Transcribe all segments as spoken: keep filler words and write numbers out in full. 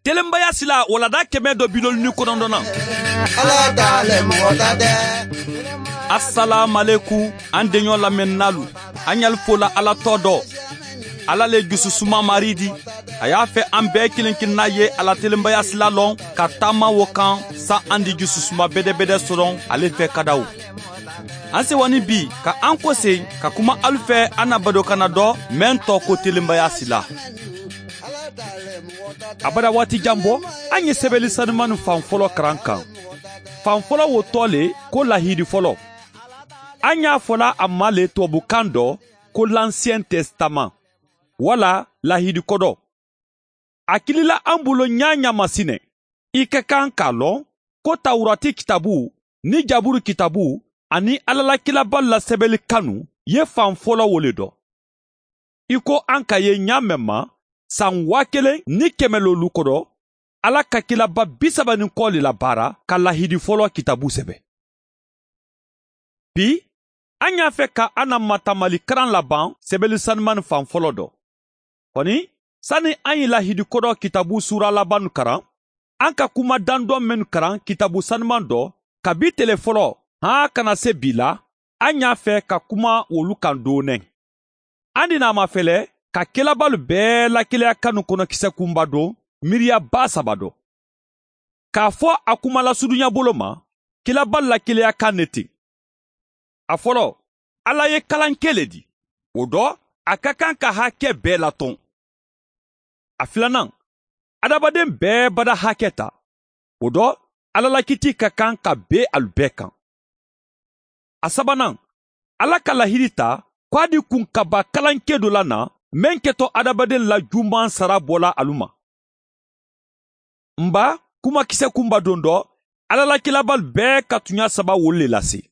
Telenbaya sila wala da keme do bilolu ni konondona. Ala ta le mɔgɔ ta tɛ. Asalaamaleku, an deɲɔ lamɛnnaalu. An ɲali fola ala tɔ dɔ. Ala le jususuma maridi. A y'a fɛ an bɛɛ kelen kelenna ye ala telenbaya sila lɔn ka taama wo kan. Sa an di jususuma bedebede soron ale fɛ kadaw. An sewani bi ka an kosen ka kuma alu fɛ an na badokana dɔ mɛn tɔ ko telenbaya sila. Abada waati jan bɔ, an ye sɛbɛli sanumani fan fɔlɔ karan kan. Fan fɔlɔ wo tɔ le ko lahidi fɔlɔ. An y'a fɔla a ma le tubabukan dɔ ko l'ancien testament, wala lahidi kɔdɔ. A kilila an bolo ɲaɲa masinɛ. I ka kan k'a lɔn ko tawurati kitabu ni jaburu kitabu ani ala la kilabalu la sɛbɛli kanu ye fan fɔlɔ wo le dɔ. I ko an ka ye ɲa mɛn ma, san waa kelen ni kɛmɛ lolu kɔdɔ, ala ka kilaba bi saba ni kɔ le labaara ka lahidi fɔlɔ kitabu sɛbɛ. Bi, an y'a fɛ ka an na matamali karan laban sɛbɛli sanumani fan fɔlɔ dɔ. Kɔni, sani an ye lahidi kodɔ kitabu suura labanu karan, an ka kuma dandɔ mennu karan kitabu sanuman dɔ, kabi tele fɔlɔ han kana se bi la, an y'a fɛ ka kuma wolu kan doonɛ. An di n'a mafɛlɛ ka kelabalu bɛɛ lakeleya kanu kɔnɔ kisɛ kunba don miiriya baa saba dɔ. K'a fɔ a kuma lasurunya bolo ma, kelabalu lakeleya kan ne ten. A fɔlɔ, ala ye kalanke le di. O dɔ, a ka kan ka hakɛ bɛɛ latɔn. A filanan, adamaden bɛɛ bada hakɛ ta. O dɔ, ala la kiti ka kan ka ben alu bɛɛ kan. A sabanan, ala ka lahidi ta ko a di kunkaba kalanke do la na, meŋ kɛtɔ adamaden la juman sara bɔla alu ma. N ba, kumakisɛ kunba don dɔ, ala la kilabalu bɛɛ ka tuɲa saba wolu le lase.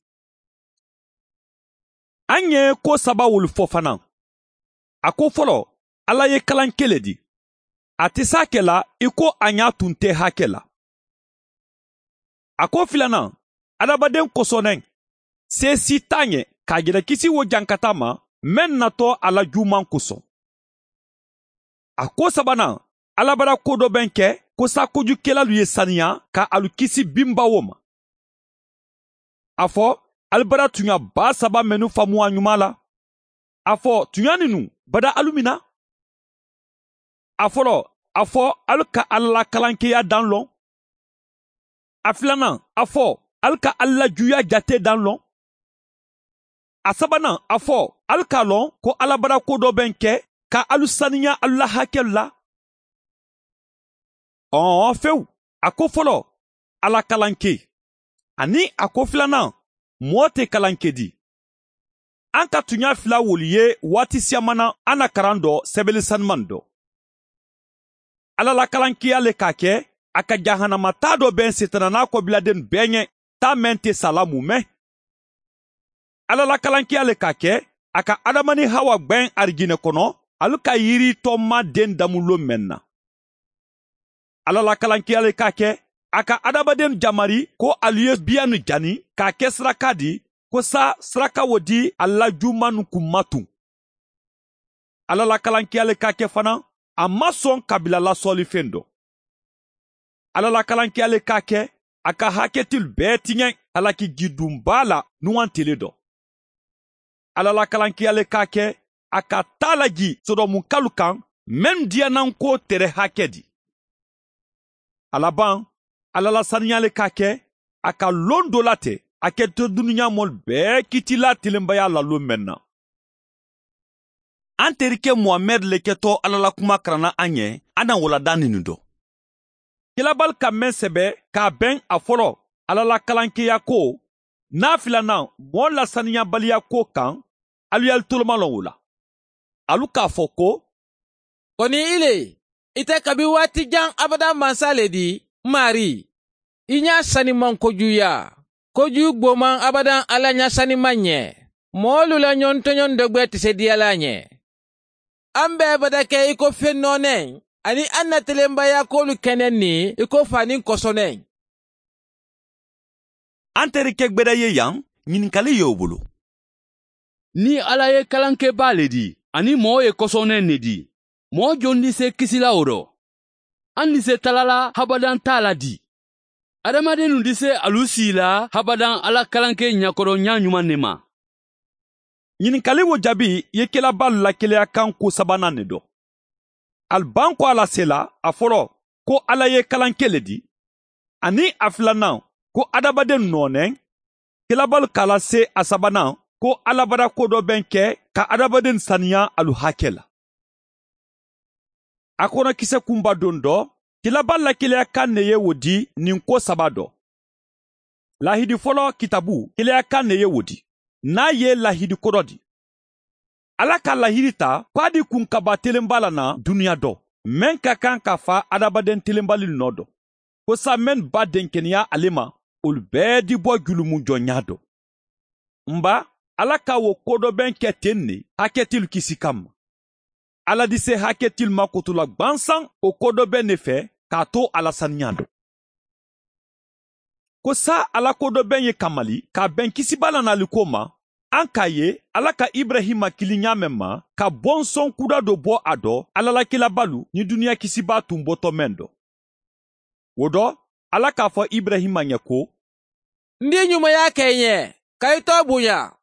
An ye ko saba wolu fɔ fana. A ko fɔlɔ, ala ye kalanke le di. A tɛ se hakɛ la i ko a ɲa tun tɛ hakɛ la. A ko filanan, adamaden kosɔnnen, se si t'a ɲɛ k'a jalakisi wo jankata ma, meŋ natɔ a la juman kosɔn. A ko sabanan, alabara ko dɔ bɛ n kɛ ko sa kojukelalu ye saniya ka alu kisi binbawo ma. A fɔ, alibara tuɲa baa saba mennu faamu a ɲuman la. A fɔ, tuɲa ninnu bada alu min na. A fɔlɔ, a fɔ, alu ka ala la kalankeya dan lɔn. A filanan, a fɔ, alu ka ala la juya jate dan lɔn. A sabanan, a fɔ, alu k'a lɔn ko alabara ko dɔ bɛ n kɛ ka alu saniya alu la hakɛlu la. Ɔɔ fewu, a ko fɔlɔ, ala kalanke, ani a ko filanan, mɔɔ tɛ kalanke di. An ka tuɲa fila wolu ye waati siyaman na an na karan dɔ sɛbɛli sanuman dɔ. Ala la kalankeya le k'a kɛ a ka jahanama taa dɔ bɛ sitana n'a kɔbiladenu bɛɛ ɲɛ, taa meŋ tɛ sa la mu mɛn. Ala la kalankeya le k'a kɛ a ka adama ni hawa gbɛn arijinɛ kɔnɔ, alu ka yiritɔma den damulon meŋ na. Ala la kalankeya le k'a kɛ a ka adamadenw jamari ko alu ye biyanu jani k'a kɛ saraka di, ko sa saraka wo di a la jumanu kun ma tun. Ala la kalankeya le k'a kɛ fana a ma sɔn kabila lasɔlifen dɔ. Ala la kalankeya le k'a kɛ a ka hakɛtilu bɛɛ tiɲɛ halaki jidunba la nuwan tile dɔ. Ala la kalankeya le k'a kɛ a ka taa laji sodomukalu kan, mennu diyananko tere hakɛ di. A laban, ala la saniya le k'a kɛ a ka lon do late a kɛtɔ duniɲa mɔlu bɛɛ kitila telenbaya la lon meŋ na. An terikɛ muhamɛdi le kɛtɔ ala la kuma karanna an ye. An na wala da ninu dɔ. Kelabalu ka meŋ sɛbɛ k'a bɛn a fɔlɔ ala la kalankeya ko, n'a filanan mɔɔ lasaniyabaliya ko kan, alu ye alu tolomalɔn wo la. Alu k'a fɔ ko, kɔni i le, i tɛ kabi waati jan abada mansa le di, maari. I ɲa saniman kojuya, koju gboman abadan ala ɲa saniman ɲɛ. Moolu la ɲɔntɔɲɔn dogbe ti se diyala ɲɛ. An bɛ bada kɛ i ko fennɔnɛ, ani an na telenbaya koolu kɛnɛ ni i ko fani kosɔnɛ. An terikɛ gbeda ye yan, ɲininkali ye o bolo. Ni ala ye kalankebaa le di, ani moo ye kosɔnɛ ne di, moo jondi se kisila o dɔ? ali ni se tala la habadaŋ taa la dii. Adamadennu disee alu sii la habadaŋ alla kalankee ñakoronñaa ñumaŋ ne ma. Ñinikali wo jaabi ye kilabaalu la keleyakaŋ kuu sabanaa ne do. Ali baŋ ko a la sela a foloo ko alla ye kalankee le dii, aniŋ a filanaŋ ko adamadennu noo neŋ. Kilabaalu ka a la see a sabanaa ko alla bada ko doo beŋ ke ka adamadennu saniyaa alu hakee la. A kono kise kunba doŋ do kilabaalu la keleyakaŋ ne ye wo dii niŋ ko saba do. Laahidi foloo kitaabu keleyakaŋ ne ye wo dii. Niŋ a ye laahidi kodo dii alla ka laahidi taa ko a dii kunkabaa telemba la na duniyaa do meŋ ka kaŋ ka faa adamadeŋ telembalilu noo do, ko saayiŋ mennu baa denkeneyaa ale ma wolu bee dii bo julumu joŋ ñaa do. M baa, alla ka wo ko doo beŋ ke teŋ ne haketilu kisi kamma. Alla disee haketilu ma kotola gbansaŋ wo ko doo beŋ ne fee ka a too a la saniyaa do. Ko saayiŋ alla ko doo beŋ ye kamali ka a beŋ kisibaa la naali ko ma. Aŋ ka a ye alla ka iburayima kili ñaameŋ ma ka bonsoŋ kuuda do bo a do alla la kilabaalu niŋ duniyaa kisibaa tuŋ boto meŋ do. Wo do, alla ka a fo iburayima ñe ko, n dii ñumayaa ka i ñee ka i too buñaa.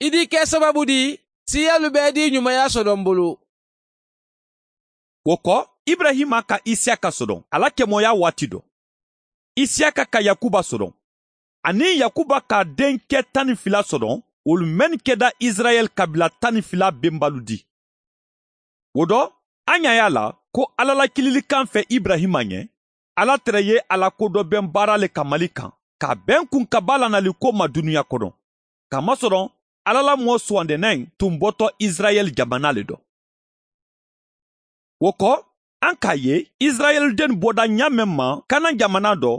I dii ke sabaabu dii siiyaalu bee dii ñumayaa sodoŋ bulu. Wo ko, iburayima ka isiyaka sodoŋ a la kemooyaa waati do. Isiyaka ka yakuba sodoŋ, aniŋ yakuba ka a deŋ ke taŋ niŋ fila sodoŋ wolu mennu keda isirayeli kabiila taŋ niŋ fila bembaalu dii. Wo do, a ñaa ye a la ko alla la kililikaŋ fee iburayima ñe, alla tere ye a la ko doo beŋ baara le kamali kaŋ ka a beŋ kunkabaa la naali ko ma duniyaa kono. Kamasoroŋ, alla la moo suwandineŋ tuŋ boto isirayeli jamanaa le do. Wo ko, aŋ ka a ye isirayeli dennu boda ñaameŋ ma kanaŋ jamanaa do,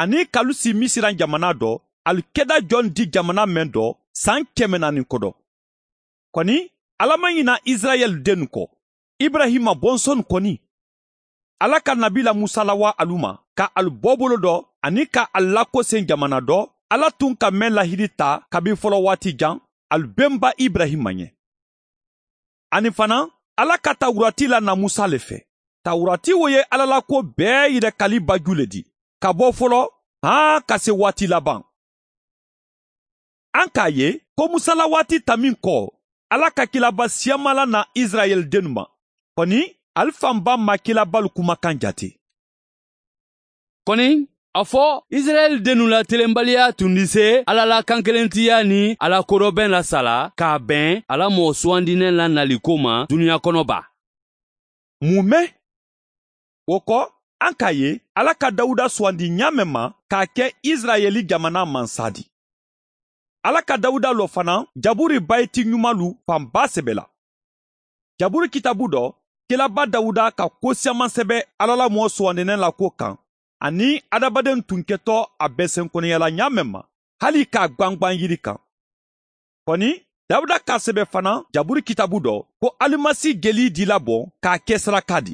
aniŋ ka alu sii misiraŋ jamanaa do, alu keda joŋ dii jamanaa meŋ do saŋ keme naani kodo. Koni, alla maŋ ñina isirayeli dennu ko, iburayima bonsonu koni. Alla ka nabiila musa lawaa alu ma ka alu bo bolo do aniŋ ka alu lakoseŋ jamana do alla tun ka meŋ lahidi taa kabiŋ folowaati jaŋ, alu bemba iburayima ñe. Aniŋ fanaa, alla ka tawuraati la na musa le fee. Tawuraati wo ye alla la kuwo bee yira kali baju le di, ka bo foloo haa ka si waati labaŋ. Aŋ ka a ye ko musa la waati tammi ko alla ka kilaba siyamala na isirayeli dennu ma. Koni, ali fanba ma kilabaalu kumakaŋ jaati. Koni, a fo isirayeli dennu la telenbaliyaa tundi se alla la kankelenteyaa niŋ a la kodobeŋ la sala ka a beŋ a la moo suwandineŋ la naliko ma duniyaa kono baa. Mun me? Wo ko, aŋ ka a ye alla ka dawuda suwandi ñaameŋ ma ka a ke isirayeli jamanaa mansaa di. Alla ka dawuda lo fanaa jaburi bayiti ñumalu fanbaa sebe la. Jaburi kitaabu do, kilaba dawuda ka kuwo siyaman sebe alla la moo suwandineŋ la kuwo kaŋ, aniŋ adamadennu tunketoo a be senkoneya la ñaameŋ ma, hali ka a gbangbaŋ yiri kaŋ. Koni, dawuda ka a sebe fanaa jaburi kitaabu do ko alimasi jeli dila boŋ ka a ke saraka di.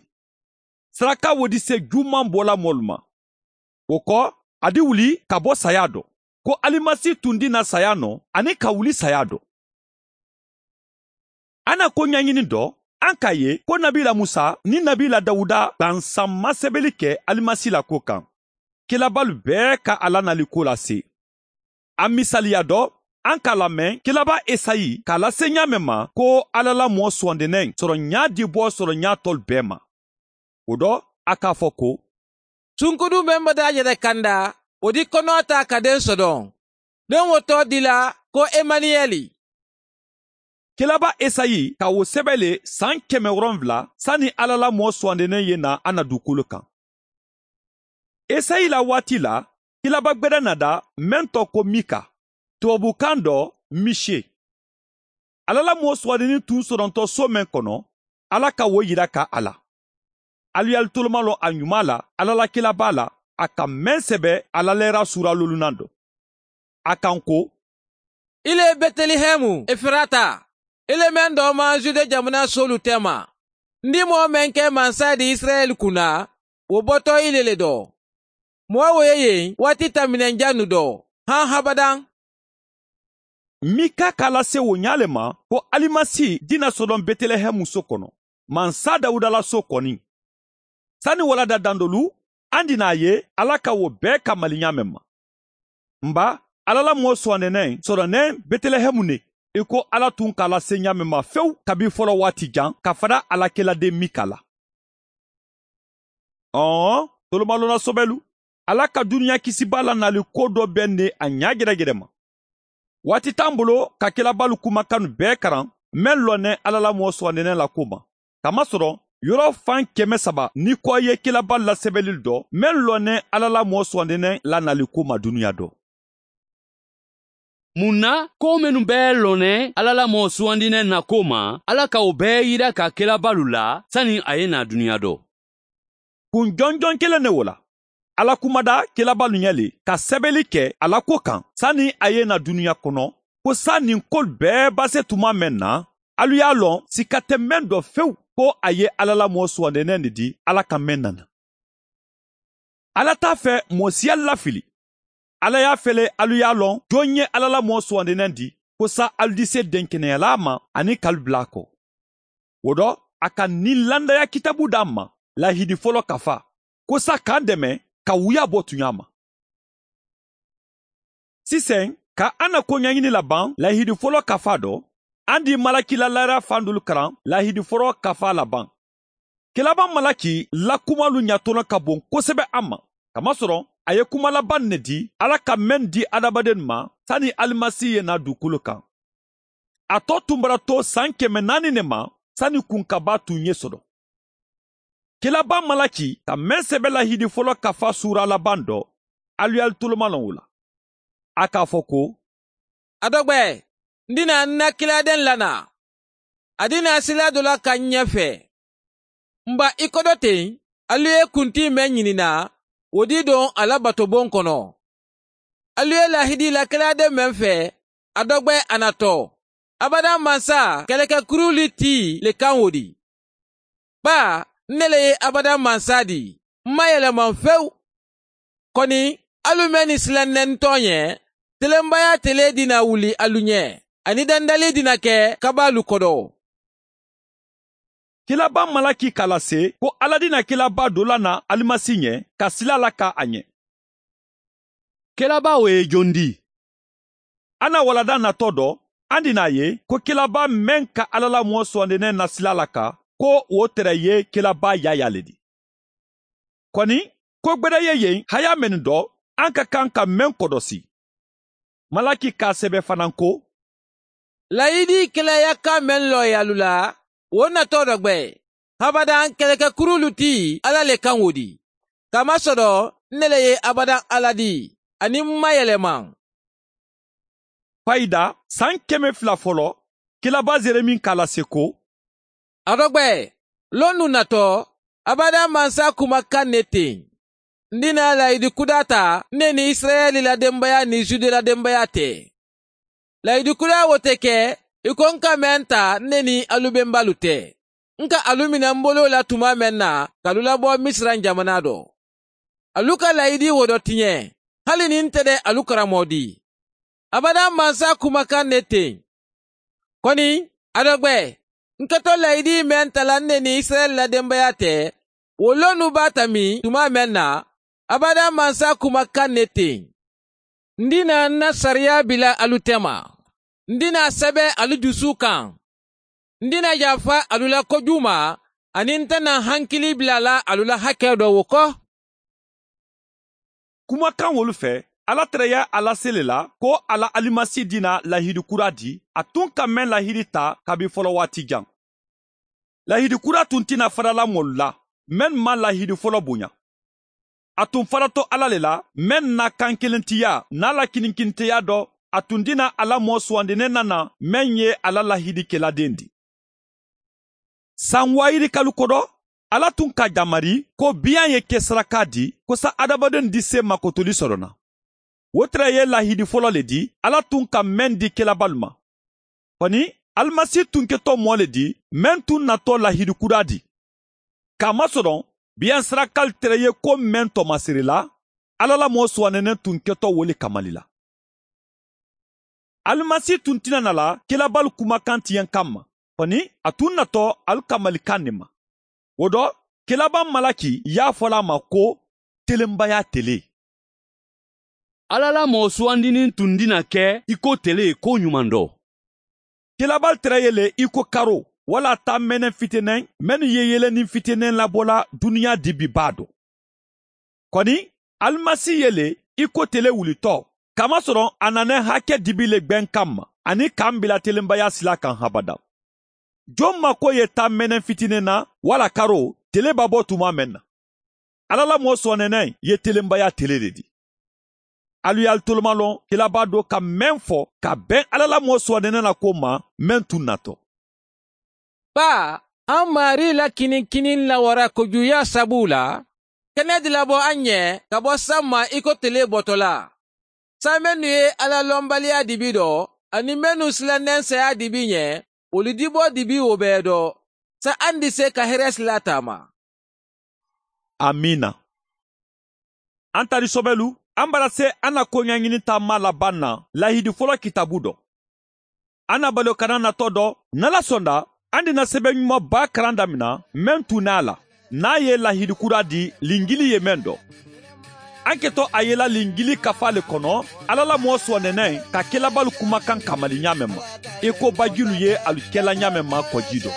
Saraka wo di se juumaŋ bola moolu ma. Wo ko, a di wuli ka bo sayaa do, ko alimasi tundi na sayaa no aniŋ ka wuli sayaa do. A na ko ñañini do, aŋ ka a ye ko nabiila musa niŋ nabiila dawuda gbansaŋ masebeli ke alimasi la kuwo kaŋ. Kilabaalu bee ka a la naliko la see. A misaliya do, aŋ ka a lameŋ kilaba esayi ka a la seeñaa meŋ ma ko alla la moo suwandineŋ soroŋ ñaa dibo soroŋ ñaa tolu bee ma. Wo do, a ka a fo ko, sunkudu meŋ bata a jata kanda, wo di konoo taa ka deŋ sodoŋ. Deŋ wo too dila ko emaniyeli. Kilaba esayi ka wo sebe le saŋ keme woronwula sani alla la moo suwandineŋ ye naa a na duukulu kaŋ. Esayi la waati la, kilaba gbeda nada meŋ to ko mika, tubabukaŋ do misiye. Alla la moo suwandini tun soronto soo meŋ kono, alla ka wo yira ka a la. Alu ye alu tolomalon a ñumaa la alla la kilabaa la, a ka meŋ sebe a la leera suura lolunaŋ do. A kaŋ ko, i le betelehemu efirata, i le meŋ doo maŋ zude jamana soolu tema. N di moo meŋ ke mansa di isirayeli kuna, wo boto i le le do. Moo wo ye yeŋ waati tammineŋ jannu do, haŋ habadaŋ. Mika ka a lase wo ñaa le ma ko alimasi dina sodoŋ betelehemu soo kono, mansa dawuda la soo koniŋ. Sani wala da dandolu, an di naa ye ala ka wo bee kamali ñaameŋ ma. Mba, ala la moo suwandinaŋ soroneŋ betelehemu ne, i ko ala tun ka a la seŋ ñaameŋ ma fewu kabi folo waati jaŋ ka fada a la keladeŋ mika la. Ɔɔ, tolomaloona sobelu, ala ka duniya kisibaa la naali ko do be ne a ñaa gedegede ma. Waati taŋ bolo ka kelabaalu kumakanu bee karaŋ, meŋ loŋ ne ala la moo suwandinaŋ la ko ma. Kamasoro, yoro faŋ keme saba ni ko ye kelabaalu la sebelil do meŋ loŋ ne ala la moo suwandinaŋ la naali ko ma duniya do. Muŋ na? Ko mennu bee loŋ ne ala la moo suwandinaŋ na ko ma, ala ka wo bee yida ka kelabaalu la sani a ye naa duniya do. Kun jonjoŋ keleŋ ne wo la, ala kumada kelabaalu ña le ka sebeli ke a la ko kaŋ sani a ye naa duniya kono, ko saa niŋ kolu bee base tuma meŋ na, alu ye a loŋ sika te meŋ do fewu, ko a ye ala la moo suwandinaŋ ne di ala ka meŋ nana. Ala te a fe moo si alu lafili. Ala ye a fele alu ye a loŋ joŋ ye ala la moo suwandinaŋ di, ko saa alu dise denkeneyalaa ma aniŋ ka alu bula a ko. Wo do, a ka niŋ landaya kitabu daa ma laahidi folo kafaa, ko saa ka a deme ka wuyaa bo tuñaa ma. Siseŋ, ka a na koñañini labaŋ laahidi folo kafaa do, a di malaki la laariya fandulu karaŋ laahidi folo kafaa labaŋ. Kelaba malaki la kumalu ñatono ka boŋ kosebe a ma, kamasoro a ye kuma labaŋ ne di ala ka meŋ di adamadennu ma sani alimasi ye naa dukulu kaŋ. A to tumbara to saŋ keme naani ne ma sani kunkabaa tuŋ ye soto. Kelaba malaki ka meŋ sebe lahiidi folo kafa suura labaŋ do, alu ye alu tolomaloŋ wo la. A ka a fo ko, a dogbe, n dina n na kiladeŋ la naa. A dina sila do la ka n ñe fe. Mba i kodo teŋ, alu ye kuntii meŋ ñini naa, wo dii doŋ a la batoboŋ kono. Alu ye laahidi la kiladeŋ meŋ fe, a dogbe a na to. Abadaŋ mansa keleke kuruuli tii le kaŋ wo di. Baa n ne le ye abadaŋ mansa di, m ma yelemaŋ fewu. Koni, alu menni silaŋ ne n tooñe, telembayaa telee dina wuli alu ñe, aniŋ dandalii dina ke kabaalu kodo. Kilabaa malaki ka a lase ko alla dina kilabaa do la na alimasi ñe, ka sila a la ka a ñe. Kilabaa wo ye jondi? A na walada natoo do, a dina a ye ko kilabaa meŋ ka alla la moo suwandi ne na sila a la ka, ko wo tere ye kilabaa yaayaa le di. Koni, ko gbeda ye yen hayaa mennu do, a ka kaŋ ka meŋ kodosi. Malaki ka a sebe fanaŋ ko, layidi kela yakka meŋ loyaalu la, wo natoo do gbe. Habadaŋ keleke kuruulu ti alla le kaŋ wo di. Kamasodo, n ne le ye abadaŋ alla di, aniŋ m ma yelemaŋ. Fayida saŋ keme fula folo, kilabaa zeremi ka a lase ko, a dogbe, lonnu natoo, abadaŋ mansa kuma kaŋ ne teŋ. N dina layidi kudaa ta n ne niŋ isirayeli la dembeyaa niŋ zude la dembeyaa te. Layidi kudaa wo te ke i ko n ka meŋ ta n ne niŋ alu bembaalu te. N ka alu mina n boloo la tumaa meŋ na ka alu labo misira jamanaa do. Alu ka layidi wo do tiñe, hali niŋ nte de alu karamoo di. Abadaŋ mansa kuma kaŋ ne teŋ. Koni, a dogbe, n keto layidi meŋ tala n ne niŋ isirayeli la dembeyaa te, wo lonnu baa tami tumaa meŋ na, abadaŋ mansa kuma kaŋ ne teŋ. N dina n na sariyaa bila alu tema. N dina a sebe alu jusuu kaŋ. N dina yaafa alu la kojuuma, aniŋ n te na hankili bila a la alu la hakee do wo ko. Kumakaŋ wolu fee, alla tere ye a lase le la ko a la alimasi dina lahiidi kuraa di a tuŋ ka meŋ lahiidi ta kabi folowaati jaŋ. Lahiidi kuraa tuŋ ti na fadala moolu la mennu maŋ lahiidi folo buña. A tuŋ fadato alla le la meŋ na kaŋ kilentiyaa niŋ a la kininkinteyaa do, a tuŋ dina a la moo suwandi ne nana meŋ ye a la lahiidi keladeŋ di. Saŋ waayirikalu kodo, alla tuŋ ka jamari ko biyaŋ ye ke sarakaa di kosa adamadennu di see makotoli soto na. Wo tara ye lahiidi folo le di alla tuŋ ka meŋ di kelabaalu ma. Koni, alimasi tuŋ keto moo le di meŋ tuŋ natoo lahiidi kudaa di. Kaamasoroŋ, biyaŋ sarakaalu tara ye ko meŋ tomasiri la, alla la moo suwanene tuŋ keto wo le kamali la. Alimasi tun ti na na la kilabaalu kumakantiyaŋ kamma, koni a tun natoo alu kamalikaŋ ne ma. Wo do, Kelabaa malaki ye a fo le a ma ko telenbaya tele. Alla la moo suwandinin tun dina ke i ko tele ko ɲuman do. Kelabaalu tere ye le i ko karo walla taameeneŋ fitinen mennu ye yelenin fitinen labola duniya dibi baa do. Koni alimasi ye le i ko tele wulitɔ, kamasɔrɔ a nanen hake dibi le gbeŋ kamma aniŋ ka n bila telenbaya sila kaŋ habada. Joŋ ma ko ye taameeneŋ fitinen na walla karo tele be a bo tuma meŋ na? Alla la moo suwaneneŋ ye telenbaya tele le di. Alu ye alu tolomalon kelabaa do ka meŋ fo ka beŋ alla la moo suwaneneŋ na ko ma meŋ tun natɔ. Baa, a maari la kiniŋ kiniŋ la wara kojuuyaa sabu la, kene dilabo a ɲe ka bo samma i ko tele botolaa. Sa mennu ye alla lonbaliyaa dibi do aniŋ mennu silanneŋ seyaa dibi ɲe, wolu diboo dibi wo bee do. Sa a ndi se ka here sila taama. Amiina. An tari sobelu, an bara se an na koɲaɲini taama laban na lahidi folo kitabu do. An na balo kana natɔ do nala sonda, an dina sebe ɲuma ba karan damina men tuna la n'a ye lahidi kura di lingili ye men do. An keto a yela lingili kafa le kono, alla la moo suwaneneŋ ka kelabalu kumakan kamali ɲaamen ma i ko bajilu ye alu kela ɲaamen ma koji do.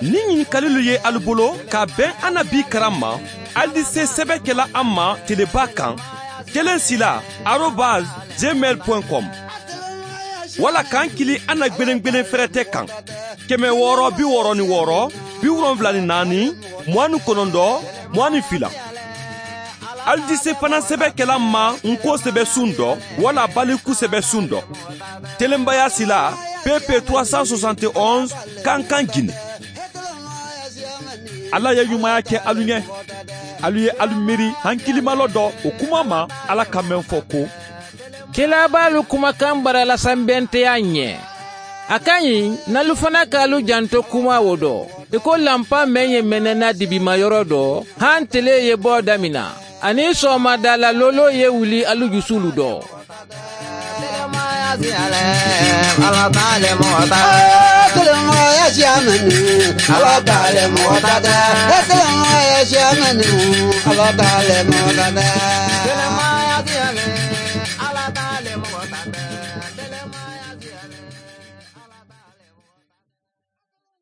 Ni ɲinikalilu ye alu bolo ka ben an na bi karan ma, alu di se sebe kela an ma teleba kan, kelen sila arobas gmail point com, walla kan kili an na gbelengbelen ferete kan, keme wooro bi wooro ni wooro, bi wolonwula ni naani, muwani konondo, muwani fila. Alu di se fana sebe kela ma n ko sebe sun do walla baliku sebe sun do. Telenbaya sila, pp trois cent soixante et onze, kankan gine. Alla ye ɲumaya ke alu ɲe. Alu ye alu miiri hankilimaloo do wo kuma ma, alla ka meŋ fo ko, kelabaalu kumakan barala sanbenteyaa ɲe. A ka ɲi n'alu fana ka alu janto kuma wo do, i ko lanpa meŋ ye menena dibimayoro do, han tele ye boo damina, aniŋ soomadaala looloo ye wuli alu jusuulu do.